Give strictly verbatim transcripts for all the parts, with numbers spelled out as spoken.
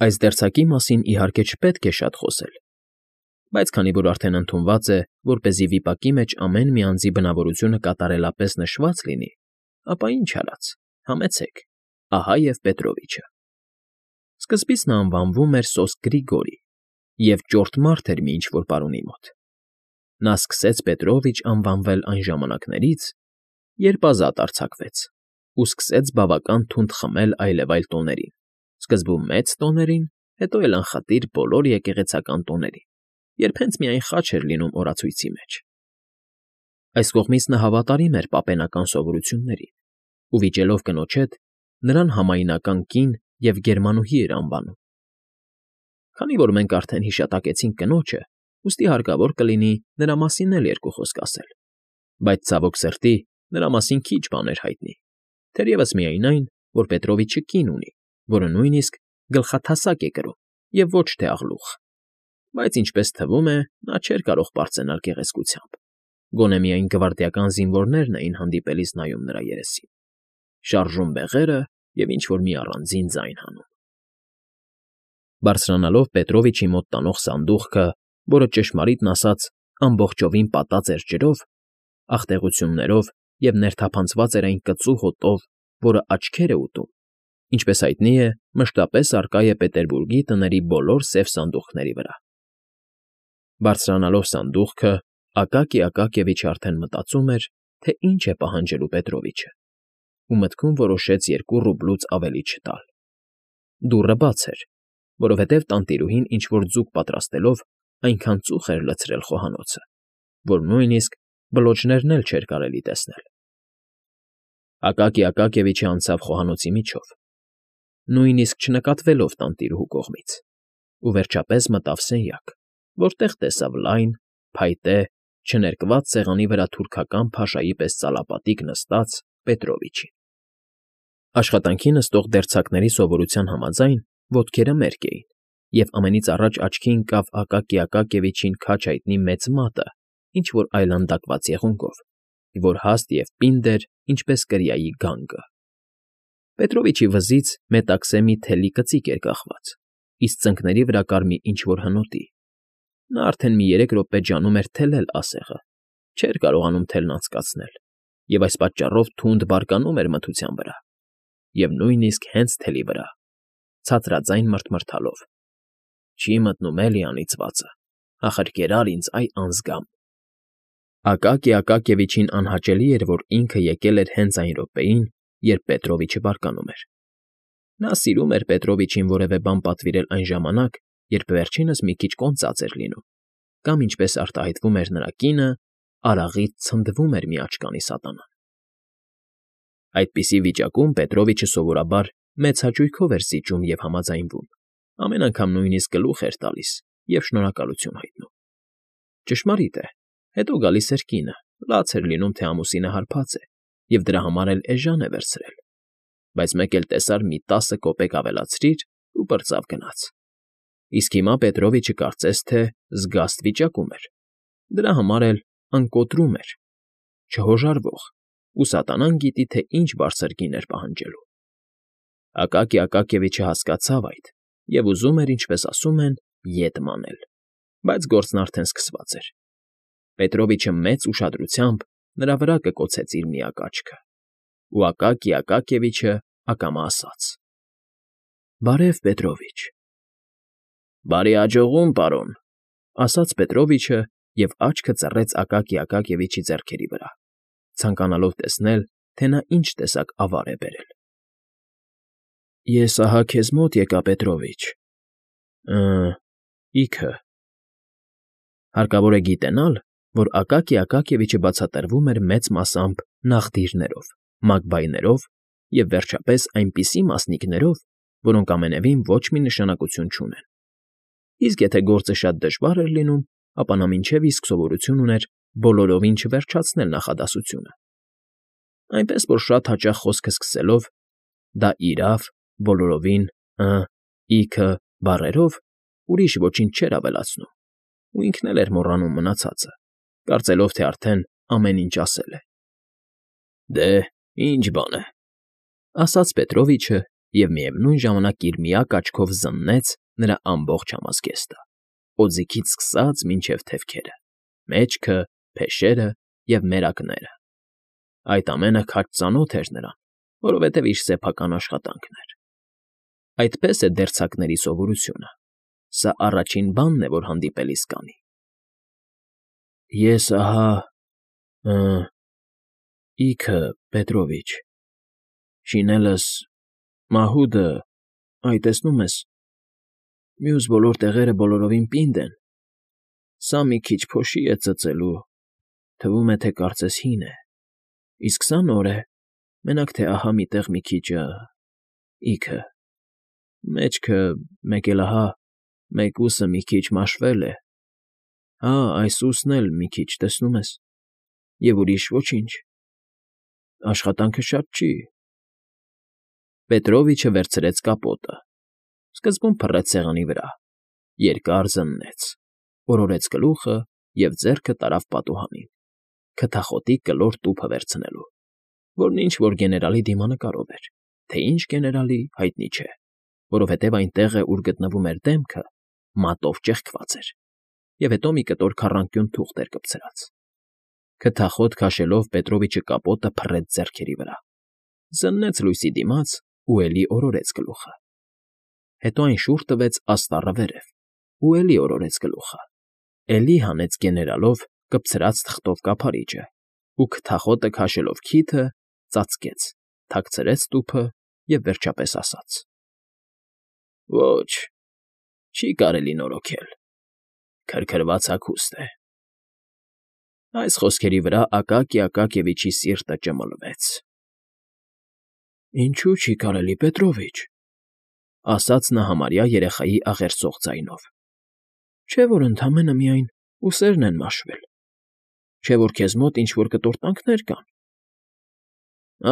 Այս դերձակի մասին, իհարկե, չպետք է շատ խոսել, բայց քանի որ արդեն ընդունված է, որպեսզի վիպակի մեջ ամեն մի անձի բնավորությունը կատարելապես նշված լինի, ապա ինչ արած, համեցեք, ահա և Պետրովիչը։ Սկզբից նա անվանվում էր Սոսկ Գրիգորի և ճորտ մարդ էր մի ինչ֊որ պարոնի մոտ։ Նա սկսեց Պետրովիչ անվանվել այն ժամանակներից, երբ ազատ արձակվեց ու սկսեց բավական թունդ խմել այլևայլ տոներին, սկզբում մեծ տոներին, հետո էլ անխտիր բոլոր եկեղեցական տոներին, երբ հենց միայն խաչ էր լինում օրացույցի մեջ։ Այս կողմից նա հավատարիմ էր պապենական սովորույթներին ու, վիճելով կնոջ հետ, նրան համայնական կին և գերմանուհի էր անվանում։ Քանի որ մենք արդեն հիշատակեցինք կնոջը, ուստի հարկավոր կլինի նրա մասին էլ երկու խոսք ասել, բայց, ցավոք սրտի, նրա մասին քիչ բան էր հայտնի, թերևս միայն այն, որ Պետրովիչը կին ունի, որը նույնիսկ գլխաթասակ է կրում և ոչ թե աղլուխ, բայց, ինչպես թվում է, նա չէր կարող պարծենալ գեղեցկությամբ, գոնե միայն գվարդիական զինվորներն էին հանդիպելիս նայում նրա երեսին, շարժում բեղերը և ինչ֊որ մի առանձին ձայն հանում։ Բարձրանալով Պետրովիչի մոտ տանող սանդուղքը, որը, ճշմարիտն ասած, ամբողջովին պատած էր ջրով, աղտեղություններով և ներթափանցված էր այն կծու հոտով, որը աչքեր է ուտում, ինչպես հայտնի է, մշտապես առկա է Պետերբուրգի տների բոլոր սև սանդուղքների վրա։ Բարձրանալով սանդուղքը, Ակակի Ակակիևիչը արդեն մտածում էր, թե ինչ է պահանջելու Պետրովիչը, ու մտքում որոշեց երկու ռուբլուց ավելի չտալ։ Դուռը բաց էր, որովհետև տանտիրուհին ինչ֊որ ձուկ պատրաստելով այնքան ծուխ էր լցրել խոհանոցը, որ նույնիսկ բլոճներն էլ չէր կարելի տեսնել։ Ակակի Ակակիևիչը անցավ խոհանոցի միջով, նույնիսկ չնկատվելով տանտիրուհու կողմից, ու վերջապես մտավ սենյակ, որտեղ տեսավ լայն, փայտե, չներկված սեղանի վրա թուրքական փաշայի պես ծալապատիկ նստած Պետրովիչին։ Աշխատանքի նստող դերձակների սովորության համաձայն ոտքերը մերկ էին, և ամենից առաջ աչքի ընկավ Ակակի Ակակիևիչին քաջ հայտնի մեծ մատը ինչ֊որ այլանդակված եղունգով, որ հաստ և պինդ էր, ինչպես կրիայի գանգը։ Պետրովիչի վզից մետաքսե մի թելի կծիկ էր կախված, իսկ ծնկների վրա կար մի ինչ֊որ հնոտի։ Նա արդեն մի երեք րոպե ջանում էր թելել ասեղը, չէր կարողանում թելն անցկացնել, և այս պատճառով թունդ բարկանում էր մթության վրա, և նույնիսկ հենց թելի վրա, ցածրաձայն մռթմռթալով. «Չի մտնում էլի անիծվածը, ախր կերար ինձ, այ անձգամ»։ Ակակի Ակակիևիչին անհաճելի էր, որ ինքը եկել էր հենց այն րոպեին, երբ Պետրովիչը բարկանում էր։ Նա սիրում էր Պետրովիչին որևէ բան պատվիրել այն ժամանակ, երբ վերջինս մի քիչ կոնծած էր լինում, կամ, ինչպես արտահայտվում էր նրա կինը, արաղից ցնդվում էր մի աչքանի սատանան։ Այդպիսի վիճակում Պետրովիչը սովորաբար մեծ հաճույքով էր զիջում և համաձայնվում, ամեն անգամ նույնիսկ գլուխ էր տալիս և շնորհակալություն հայտնում։ Ճշմարիտ է, հետո գալիս էր կինը, լաց էր լինում, թե ամուսինը հարբած է, և դրա համար էլ էժան է վերցրել, բայց մեկ էլ տեսար մի տասը կոպեկ ավելացրիր ու պրծավ գնաց։ Իսկ հիմա Պետրովիչը կարծես թե զգաստ վիճակում էր, դրա համար էլ անկոտրում էր, չհոժարվող, ու սատանան գիտի, թե ինչ բարձր գին էր պահանջելու։ Ակակի Ակակիևիչը հասկացավ այդ և ուզում էր, ինչպես ասում են, ետ մանել, բայց գործն արդեն սկսված էր։ Պետրովիչը մեծ ուշադրությամբ նրա վրա կկոցեց իր միակ աչքը, ու Ակակի Ակակիևիչը ակամա ասաց. «Բարև, Պետրովիչ»։ «Բարի աջողում, պարոն», ասաց Պետրովիչը և աչքը ծռեց Ակակի Ակակիևիչի ձեռքերի վրա, ցանկանալով տեսնել, թե նա ինչ տեսակ ավար է բերել։ «Ես ահա քեզ մոտ եկա, Պետրովիչ, ըը, իքը»։ Հարկավոր է գիտենալ, որ Ակակի Ակակիևիչը բացատրվում էր մեծ մասամբ նաղդիրներով, մագբայներով և, վերջապես, այնպիսի մասնիկներով, որոնք ամենևին ոչ մի նշանակություն չունեն։ Իսկ եթե գործը շատ դժվար էր լինում, ապա նա մինչև իսկ սովորություն ուներ բոլորովին չվերջացնել նախադասությունը։ Այնպես որ շատ հաճախ խոսքը սկսելով «դա իրավ», «բոլորովին», «ը», «իքը» բառերով ուրիշ ոչինչ չէր ավելացնում, ու ինքն էլ էր մոռանում մնացածը, կարծելով, թե արդեն ամեն ինչ ասել է։ «Դե, ի՞նչ բան է», ասաց Պետրովիչը և միևնույն ժամանակ իր միակ աչքով զննեց նրա ամբողջ համազգեստը, օձիքից սկսած մինչև թևքերը, մեջքը, փեշերը և մերակները. այդ ամենը քաջ ծանոթ էր նրան, որովհետև իր սեփական աշխատանքն էր։ Այդպես է դերձակների սովորությունը. սա առաջին բանն է, որ հանդիպելիս կանի։ Ես ահա… ը… ինքը, Պետրովիչ, շինելս, մահուդը, այ, տեսնում ես, մյուս բոլոր տեղերը բոլորովին պինդ են, սա մի քիչ փոշի է ծծելու, թվում է, թե կարծես հին է, իսկ սա նոր է, մենակ թե ահա մի տեղ մի քիչ… ինքը… մեջքը, մեկ էլ ահա, մեկուսը մի քիչ մաշվել է, հա, այս ուսն էլ մի քիչ, տեսնում ես, և ուրիշ ոչինչ… աշխատանքը շատ չի… Պետրովիչը վերցրեց կապոտը, սկզբում փռեց սեղանի վրա, երկար զննեց, օրորեց գլուխը և ձեռքը տարավ պատուհանին, քթախոտի կլոր տուփը վերցնելու, որն ինչ֊որ գեներալի դիմանկարով էր, թե ինչ գեներալի՝ հայտնի չէ, որովհետև այն տեղը, ուր գտնվում էր դեմքը, մատով ճեղքված էր, և հետո մի կտոր քառանկյուն թուղթ էր կպցրած… Քթախոտ քաշելով՝ Պետրովիչը կապոտը փռեց ձեռքերի վրա, զննեց լույսի դիմաց ու էլի օրորեց գլուխը… Հետո այն շուռ տվեց աստառը վերև ու էլի օրորեց գլուխը, էլի հանեց գեներալով կպցրած թղթով կափարիչը ու, քթախոտը քաշելով քիթը, ծածկեց, թաքցրեց տուփը և վերջապես ասաց. Ոչ, չի կարելի նորոգել, քրքրված հագուստ է… Այս խոսքերի վրա Ակակի Ակակիևիչի սիրտը ճմլվեց։ Ինչո՞ւ չի կարելի, Պետրովիչ,֊ ասաց նա համարյա երեխայի աղերսող ձայնով,֊ չէ՞ որ ընդամենը միայն ուսերն են մաշվել, չէ՞ որ քեզ մոտ ինչ֊որ կտորտանքներ կան…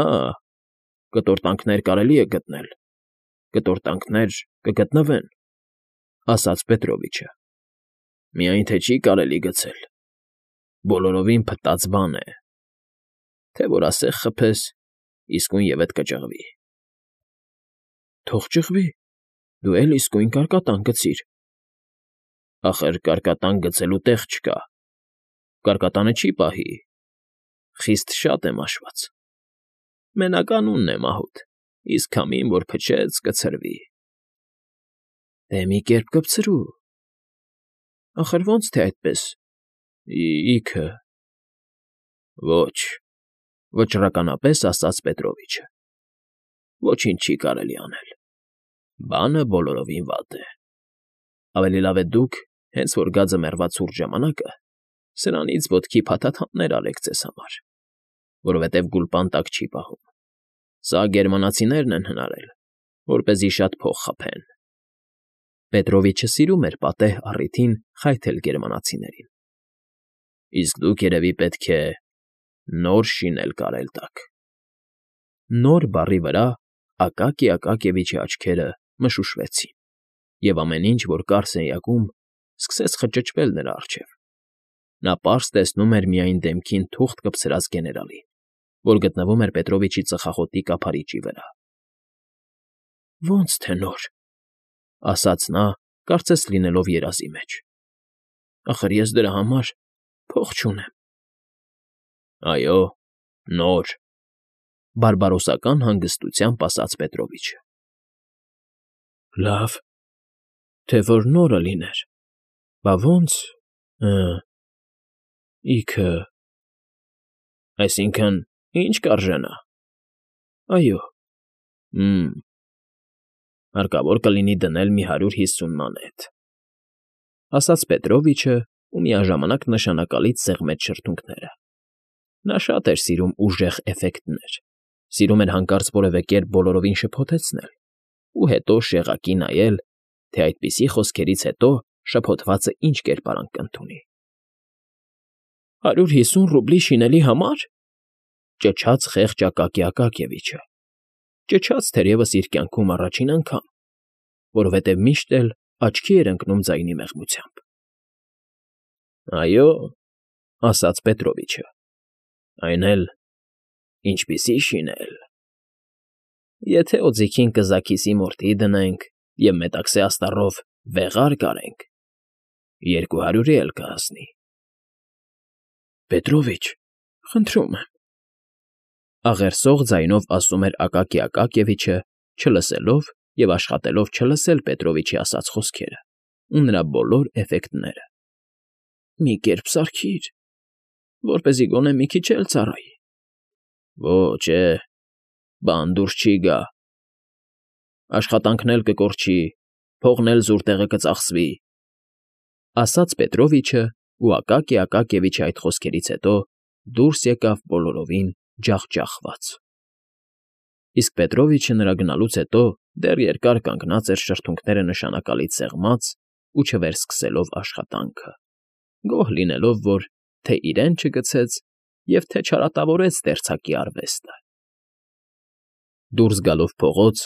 Ա՜, կտորտանքներ կարելի է գտնել, կտորտանքներ կգտնվեն,֊ ասաց Պետրովիչը,֊ միայն թե չի կարելի գցել, բոլորովին փտած բան է, թե որ ասեղ խփես, իսկույնևեթ կճղվի… Թող ճղվի, դու էլ իսկույն կարկատան գցիր… Ախր կարկատան գցելու տեղ չկա, կարկատանը չի պահի, խիստ շատ է մաշված… Մենակ անունն է մահուդ, իսկ քամին որ փչեց, կցրվի… Դե մի կերպ կպցրու… Ախր ո՞նց թե այդպես… Ի՞քը… Ոչ,֊ վճռականապես ասաց Պետրովիչը,֊ ոչինչ չի կարելի անել, բանը բոլորովին վատ է… Ավելի լավ է դուք, հենց որ գա ձմեռվա ցուրտ ժամանակը, սրանից ոտքի փաթաթաններ արեք ձեզ համար, որովհետև գուլպան տակ չի պահում, սա գերմանացիներն են հնարել, որպեսզի շատ փող խփեն… Պետրովիչը սիրում էր պատեհ առիթին խայթել գերմանացիներին։ Իսկ դուք, երևի, պետք է նոր շինել կարել տաք… Նոր բառի վրա Ակակի Ակակիևիչի աչքերը մշուշվեցին, և ամեն ինչ, որ կար սենյակում, սկսեց խճճվել նրա առջև… Նա պարզ տեսնում էր միայն դեմքին թուղթ կպցրած գեներալին, որ գտնվում էր Պետրովիչի ծխախոտի կափարիչի վրա։ Ո՞նց թե նոր,֊ ասաց նա, կարծես լինելով երազի մեջ, ախր ես դրա համար փող չունեմ… Այո, նոր,֊ բարբարոսական հանգստությամբ ասաց Պետրովիչը։ Լավ, թե որ նորը լիներ, բա ո՞նց… ը… ինքը… Այսինքն՝ ի՞նչ կարժենա… Այո… Հը… Հարկավոր կլինի դնել մի հարյուր հիսուն մանեթ,֊ ասաց Պետրովիչը ու միաժամանակ նշանակալից սեղմեց շրթունքները… Նա շատ էր սիրում ուժեղ էֆեկտներ, սիրում էր հանկարծ որևէ կերպ բոլորովին շփոթեցնել ու հետո շեղակի նայել, թե այդպիսի խոսքերից հետո շփոթվածը ինչ կերպարանք կընդունի։ Հարյուր հիսուն ռուբլի շինելի համար,֊ ճչաց խեղճ Ակակի Ակակիևիչը, ճչաց թերևս իր կյանքում առաջին անգամ, որովհետև միշտ էլ աչքի էր ընկնում ձայնի մեղմությամբ։ Այո,֊ ասաց Պետրովիչը,֊ այն էլ… ինչպիսի՜ շինել… Եթե օձիքին կզաքիսի մորթի դնենք և մետաքսե աստառով վեղար կարենք, երկու հարյուրի էլ կհասնի։ ֊ Պետրովիչ, խնդրում եմ,֊ աղերսող ձայնով ասում էր Ակակի Ակակիևիչը, չլսելով և աշխատելով չլսել Պետրովիչի ասած խոսքերը ու նրա բոլոր էֆեկտները,֊ մի կերպ սարքիր, որպեսզի գոնե մի քիչ էլ ծառայի։ ֊ Ոչ է, բան դուրս չի գա, աշխատանքն էլ կկորչի, փողն էլ զուր տեղը կծախսվի,֊ ասաց Պետրովիչը, ու Ակակի Ակակիևիչի այդ խոսքերից հետո դուրս եկավ բոլորովին ջախջախված։ Իսկ Պետրովիչը նրա գնալուց հետո դեռ երկար կանգնած էր շրթունքները նշանակալից սեղմած ու չվերսկսելով աշխատանքը, գոհ լինելով, որ թե՛ իրեն չգցեց և թե՛ չարատավորեց դերձակի արվեստը։ Դուրս գալով փողոց,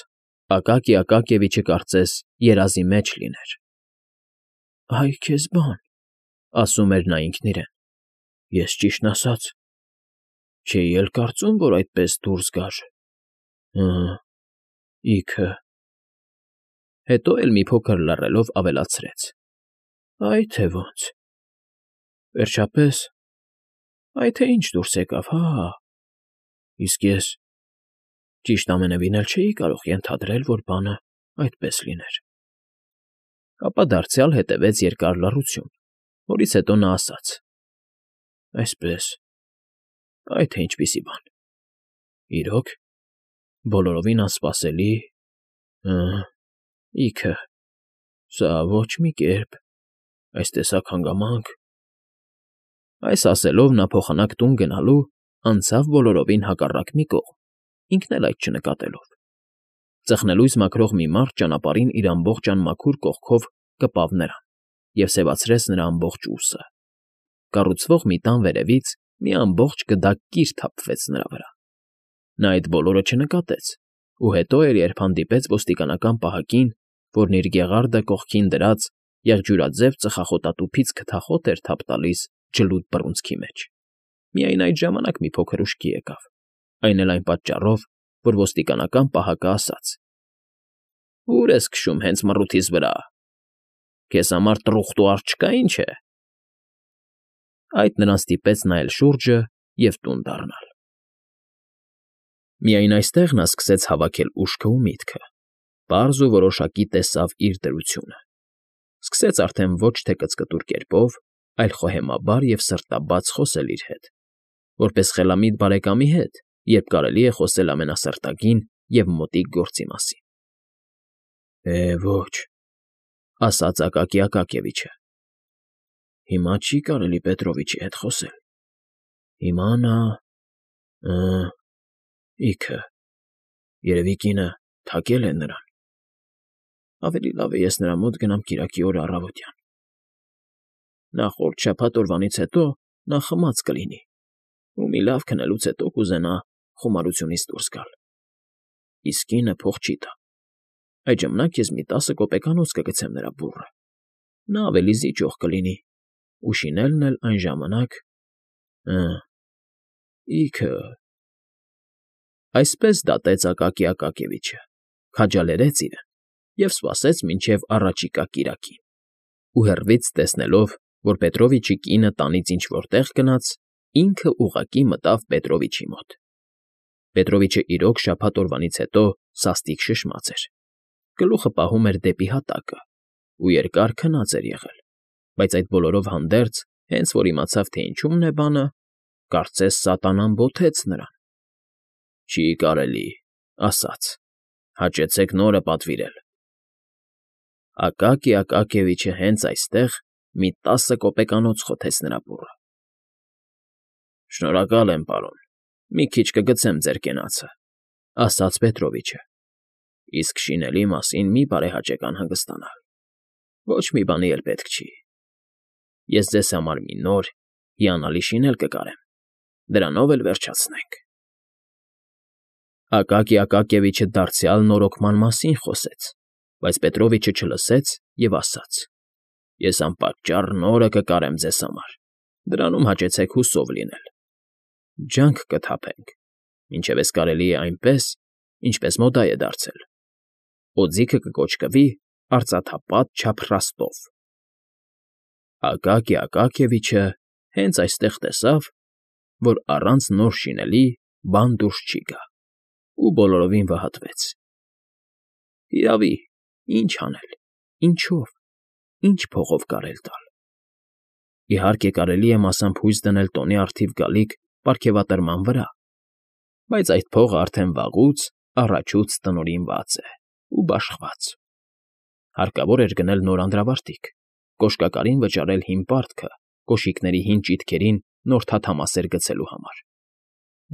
Ակակի Ակակիևիչը կարծես երազի մեջ լիներ։ «Այ քեզ բան,֊ ասում էր նա ինքն իրեն,֊ ես, ճիշտն ասած, չէի էլ կարծում, որ այդպես դուրս գար… Հը՜, իքը…»։ Հետո էլ մի փոքր լռելով ավելացրեց. «Այ թե ոնց… Վերջապես, այ թե ինչ դուրս եկավ, հա՜… Իսկ ես… ճիշտ ամենևին էլ չէի կարող ենթադրել, որ բանը այդպես լիներ»։ Ապա դարձյալ հետևեց երկար լռություն, որից հետո նա ասաց. «Այսպես… Այ թե ինչպիսի բան… Իրո՞ք… բոլորովին անսպասելի… Հը՜, իքը… Սա ոչ մի կերպ… այս տեսակ հանգամանք…»։ Այս ասելով նա փոխանակ տուն գնալու անցավ բոլորովին հակառակ մի կողմ, ինքն էլ այդ չնկատելով։ Ծխնելույս մաքրող մի մարդ ճանապարհին իր ամբողջ անմաքուր կողքով կպավ նրան և սևացրեց նրա ամբողջ ուսը։ Կառուցվող մի տան վերևից մի ամբողջ գդակ կիր թափվեց նրա վրա։ Նա այդ բոլորը չնկատեց ու հետո էր, երբ հանդիպեց ոստիկանական պահակին, որն իր գեղարդը կողքին դրած եղջյուրաձև ծխախոտատուփից քթախոտ էր թափ տալիս ջլուդ բռունցքի մեջ։ Միայն այդ ժամանակ մի փոքր ուշքի եկավ, այն էլ այն պատճառով, որ ոստիկանական պահակը ասաց. «Ո՞ւր ես քշում հենց մռութիս վրա… Քեզ համար տրուխտու առ չկա, ինչ է…»։ Այդ նրան ստիպեց նայել շուրջը և տուն դառնալ։ Միայն այստեղ նա սկսեց հավաքել ուշքը ու միտքը, պարզ ու որոշակի տեսավ իր դրությունը։ Սկսեց արդեն ոչ թե կծկտուր կերպով, այլ խոհեմաբար և սրտաբաց խոսել իր հետ, որպես խելամիտ բարեկամի հետ, երբ կարելի է խոսել ամենասրտագին և մոտիկ գործի մասին։ «Է, ոչ,֊ ասաց Ակակի Ակակիևիչը,֊ հիմա չի կարելի Պետրովիչի հետ խոսել… Հիմա նա… Հը՜, իքը… երևի կինը թակել է նրան… Ավելի լավ է ես նրա մոտ գնամ կիրակի օրը առավոտյան… Նախորդ շաբաթ օրվանից հետո նա խմած կլինի ու մի լավ քնելուց հետո կուզենա խոմարությունից դուրս գալ… Իսկ կինը փող չի տա… Այդ ժամանակ ես մի տասը կոպեկանոց կգցեմ նրա բուռը… Նա ավելի զիջող կլինի, ու շինելն էլ այն ժամանակ… Հը՜, իքը… Այսպես դատեց Ակակի Ակակիևիչը, քաջալերեց իրեն և սպասեց մինչև առաջիկա կիրակին, ու հեռվից տեսնելով, որ Պետրովիչի կինը տանից ինչ֊որ տեղ գնաց, ինքը ուղղակի մտավ Պետրովիչի մոտ։ Պետրովիչը իրոք շաբաթ օրվանից հետո սաստիկ շշմած էր, գլուխը պահում էր դեպի հատակը ու երկար քնած էր եղել, բայց այդ բոլորով հանդերձ, հենց որ իմացավ, թե ինչումն է բանը, կարծես սատանան բոթեց նրան։ «Չի կարելի,֊ ասաց,֊ հաճեցեք նորը պատվիրել…»։ Ակակի Ակակիևիչը հենց այստեղ մի տասը կոպեկանոց խոթեց նրա բուռը։ «Շնորհակալ եմ, պարոն, մի քիչ կգցեմ ձեր կենացը,֊ ասաց Պետրովիչը,֊ իսկ շինելի մասին մի՛ բարեհաճեք անհանգստանալ… Ոչ մի բանի էլ պետք չի… Ես ձեզ համար մի նոր, հիանալի շինել կկարեմ, դրանով էլ վերջացնենք»։ Ակակի Ակակիևիչը դարձյալ նորոգման մասին խոսեց, բայց Պետրովիչը չլսեց և ասաց. «Ես անպատճառ նորը կկարեմ ձեզ համար, դրանում հաճեցեք հուսով լինել… Ջանք կթափենք, մինչև էս կարելի է այնպես, ինչպես մոդայ է դարձել։ Օձիքը կկոչկվի արծաթապատ չափրաստով։ Ակակի Ակակիևիչը հենց այստեղ տեսավ, որ առանց նոր շինելի բան դուրս չի գա, ու բոլորովին վհատվեց։ Հիրավի, ի՞նչ անել, ինչով, ի՞նչ փողով կարել տալ։ Իհարկե, կարելի է մասամբ հույս դնել տոնի առթիվ գալիք պարգևատրման վրա, բայց այդ փողը արդեն վաղուց առաջուց տնօրինված է ու բաշխված։ Հարկավոր էր գնել նոր անդրավարտիք, կոշկակարին վճարել հին պարտքը կոշիկների հին ճիթքերին նոր թաթամասեր գցելու համար,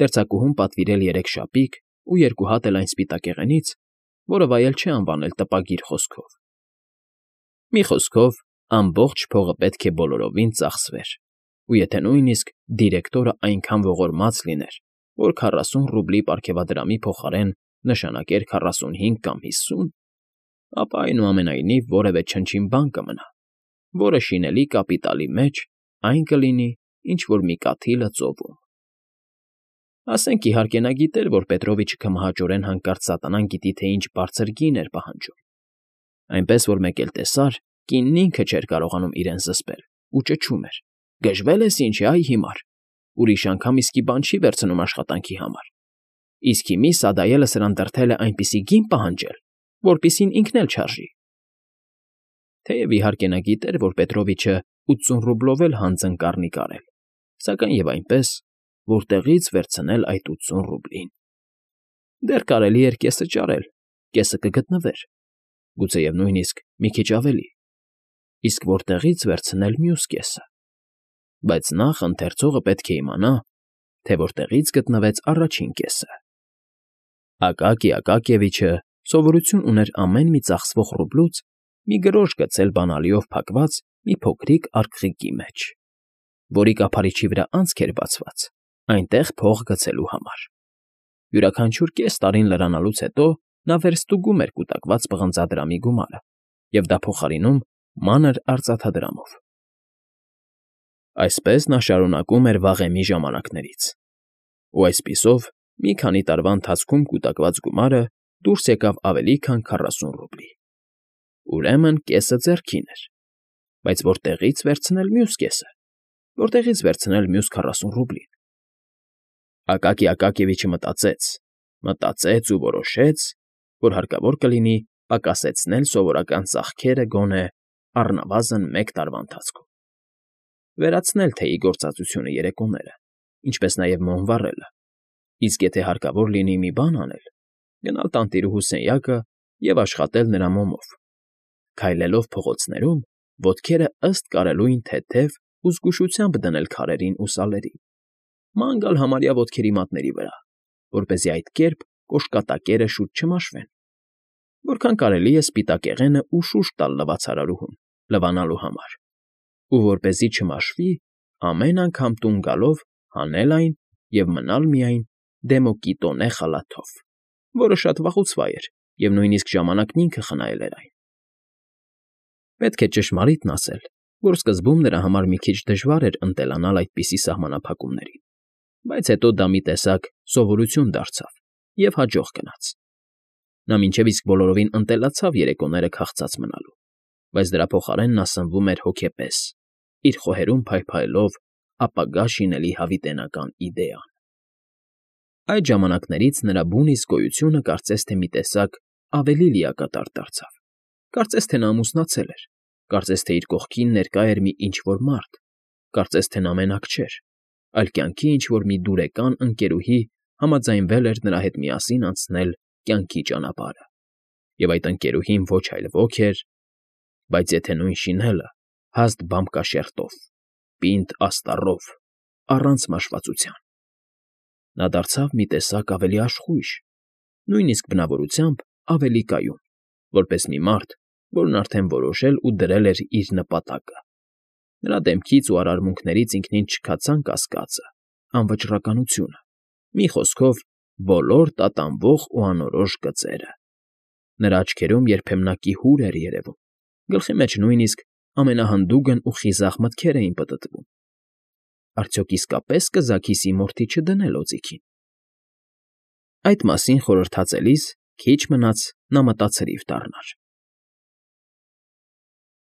դերձակուհուն պատվիրել երեք շապիկ ու երկու հատ էլ այն սպիտակեղենից, որը վայել չէ անվանել տպագիր խոսքով։ Մի խոսքով, ամբողջ փողը պետք է բոլորովին ծախսվեր, ու եթե նույնիսկ դիրեկտորը այնքան ողորմած լիներ, որ քառասուն ռուբլի պարգևադրամի փոխարեն նշանակեր քառասունհինգ կամ հիսուն, ապա այնուամենայնիվ որևէ չնչին բան կմնա, որը շինելի կապիտալի մեջ այն կլինի, ինչ որ մի կաթիլը ծովում։ Ասենք, իհարկե, նա գիտեր, որ Պետրովիչը քմահաճորեն հանկարծ սատանան գիտի թե ինչ բարձր գին էր պահանջում, այնպես որ մեկ էլ տեսար, կինն ինքը չէր կարողանում իրեն զսպել ու ճչում էր. «Գժվել ես ինչ է, այ հիմար, ուրիշ անգամ իսկի բան չի վերցնում աշխատանքի համար, իսկ հիմի սադայելը սրան դրդել է այնպիսի գին պահանջել, որպիսին ինքն էլ չարժի»։ Թեև իհարկե նա գիտեր, որ Պետրովիչը ութսուն ռուբլով էլ հանձն կառնի կարել, սակայն և այնպես, որտեղի՞ց վերցնել այդ ութսուն ռուբլին։ Դեռ կարելի էր կեսը ճարել, կեսը կգտնվեր, գուցեև նույնիսկ մի քիչ ավելի, իսկ որտեղի՞ց վերցնել մյուս կեսը։ Բայց նախ ընթերցողը պետք է իմանա, թե որտեղից գտնվեց առաջին կեսը։ Ակակի Ակակիևիչը սովորություն ուներ ամեն մի ծախսվող ռուբլուց մի գրոշ գցել բանալիով փակված մի փոքրիկ արգղիկի մեջ, որի կափարիչի վրա անցք էր բացված այնտեղ փող գցելու համար։ Յուրաքանչյուր կես տարին լրանալուց հետո նա վերստուգում էր կուտակված պղնձադրամի գումարը և դա փոխարինում մանր արծաթադրամով։ Այսպես նա շարունակում էր վաղեմի ժամանակներից, ու այսպիսով մի քանի տարվա ընթացքում կուտակված գումարը դուրս եկավ ավելի քան քառասուն ռուբլի։ Ուրեմն կեսը ձեռքին էր, բայց որտեղի՞ց վերցնել մյուս կեսը, որտեղի՞ց վերցնել մյուս քառասուն ռուբլին։ Ակակի Ակակիևիչը մտածեց, մտածեց ու որոշեց, որ հարկավոր կլինի պակասեցնել սովորական ծախքերը գոնե առնվազն մեկ տարվա ընթացքում, վերացնել թեյի գործածությունը երեկոները, ինչպես նաև մոմ վառելը, իսկ եթե հարկավոր լինի մի բան անել, գնալ տանտիրուհու սենյակը և աշխատել նրա մոմով, քայլելով փողոցներում, ոտքերը ըստ կարելույն թեթև ու զգուշությամբ դնել քարերին ու սալերին, ման գալ համարյա ոտքերի մատների վրա, որպեսզի այդ կերպ կոշկատակերը շուտ չմաշվեն, որքան կարելի է սպիտակեղենը ուշ ուշ տալ լվացարարուհուն լվանալու համար, ու որպեսզի չմաշվի, ամեն անգամ տուն գալով հանել այն և մնալ միայն դեմոկիտոնե խալաթով, որը շատ վաղուց վայ էր և նույնիսկ ժամանակն ինքը խնայել էր այն։ Պետք է ճշմարիտն ասել, որ սկզբում նրա համար մի քիչ դժվար էր ընտելանալ այդպիսի սահմանափակումներին, բայց հետո դա մի տեսակ սովորություն դարձավ և հաջող գնաց։ Նա մինչև իսկ բոլորովին ընտելացավ երեկոները քաղցած մնալու, բայց դրա փոխարեն նա սնվում էր հոգեպես, իր խոհերում փայլփայլող ապագա շինելի հավիտենական իդեան։ Այդ ժամանակներից նրա բուն իսկ գոյությունը կարծես թե մի տեսակ ավելի լիակատար դարձավ, կարծես թե նա ամուսնացել էր, կարծես թե իր կողքին ներկա էր մի ինչ֊որ մարդ, կարծես թե նա մենակ չէր, այլ կյանքի ինչ֊որ մի դուրեկան ընկերուհի համաձայնվել էր նրա հետ միասին անցնել կյանքի ճանապարհը, և այդ ընկերուհին ոչ այլ ոք էր, բայց եթե նույն շինելը, հաստ բամկաշերտով, պինդ աստառով, առանց մաշվածության։ Նա դարձավ մի տեսակ ավելի աշխույժ, նույնիսկ բնավորությամբ ավելի կայուն, որպես մի մարդ, որն արդեն որոշել ու դրել էր իր նպատակը։ Նրա դեմքից ու արարմունքներից ինքնին չքացան կասկածը, անվճռականությունը, մի խոսքով, բոլոր տատանվող ու անորոշ գծերը։ Նրա աչքերում երբեմնակի հուր էր երևում, գլխի մեջ նույնիսկ ամենահանդուգն ու խիզախ մտքեր էին պտտվում։ Արդյոք իսկապես կզաքիսի մորթի չդնել օձիքին։ Այդ մասին խորհրդածելիս քիչ մնաց նա մտացրիվ դառնար։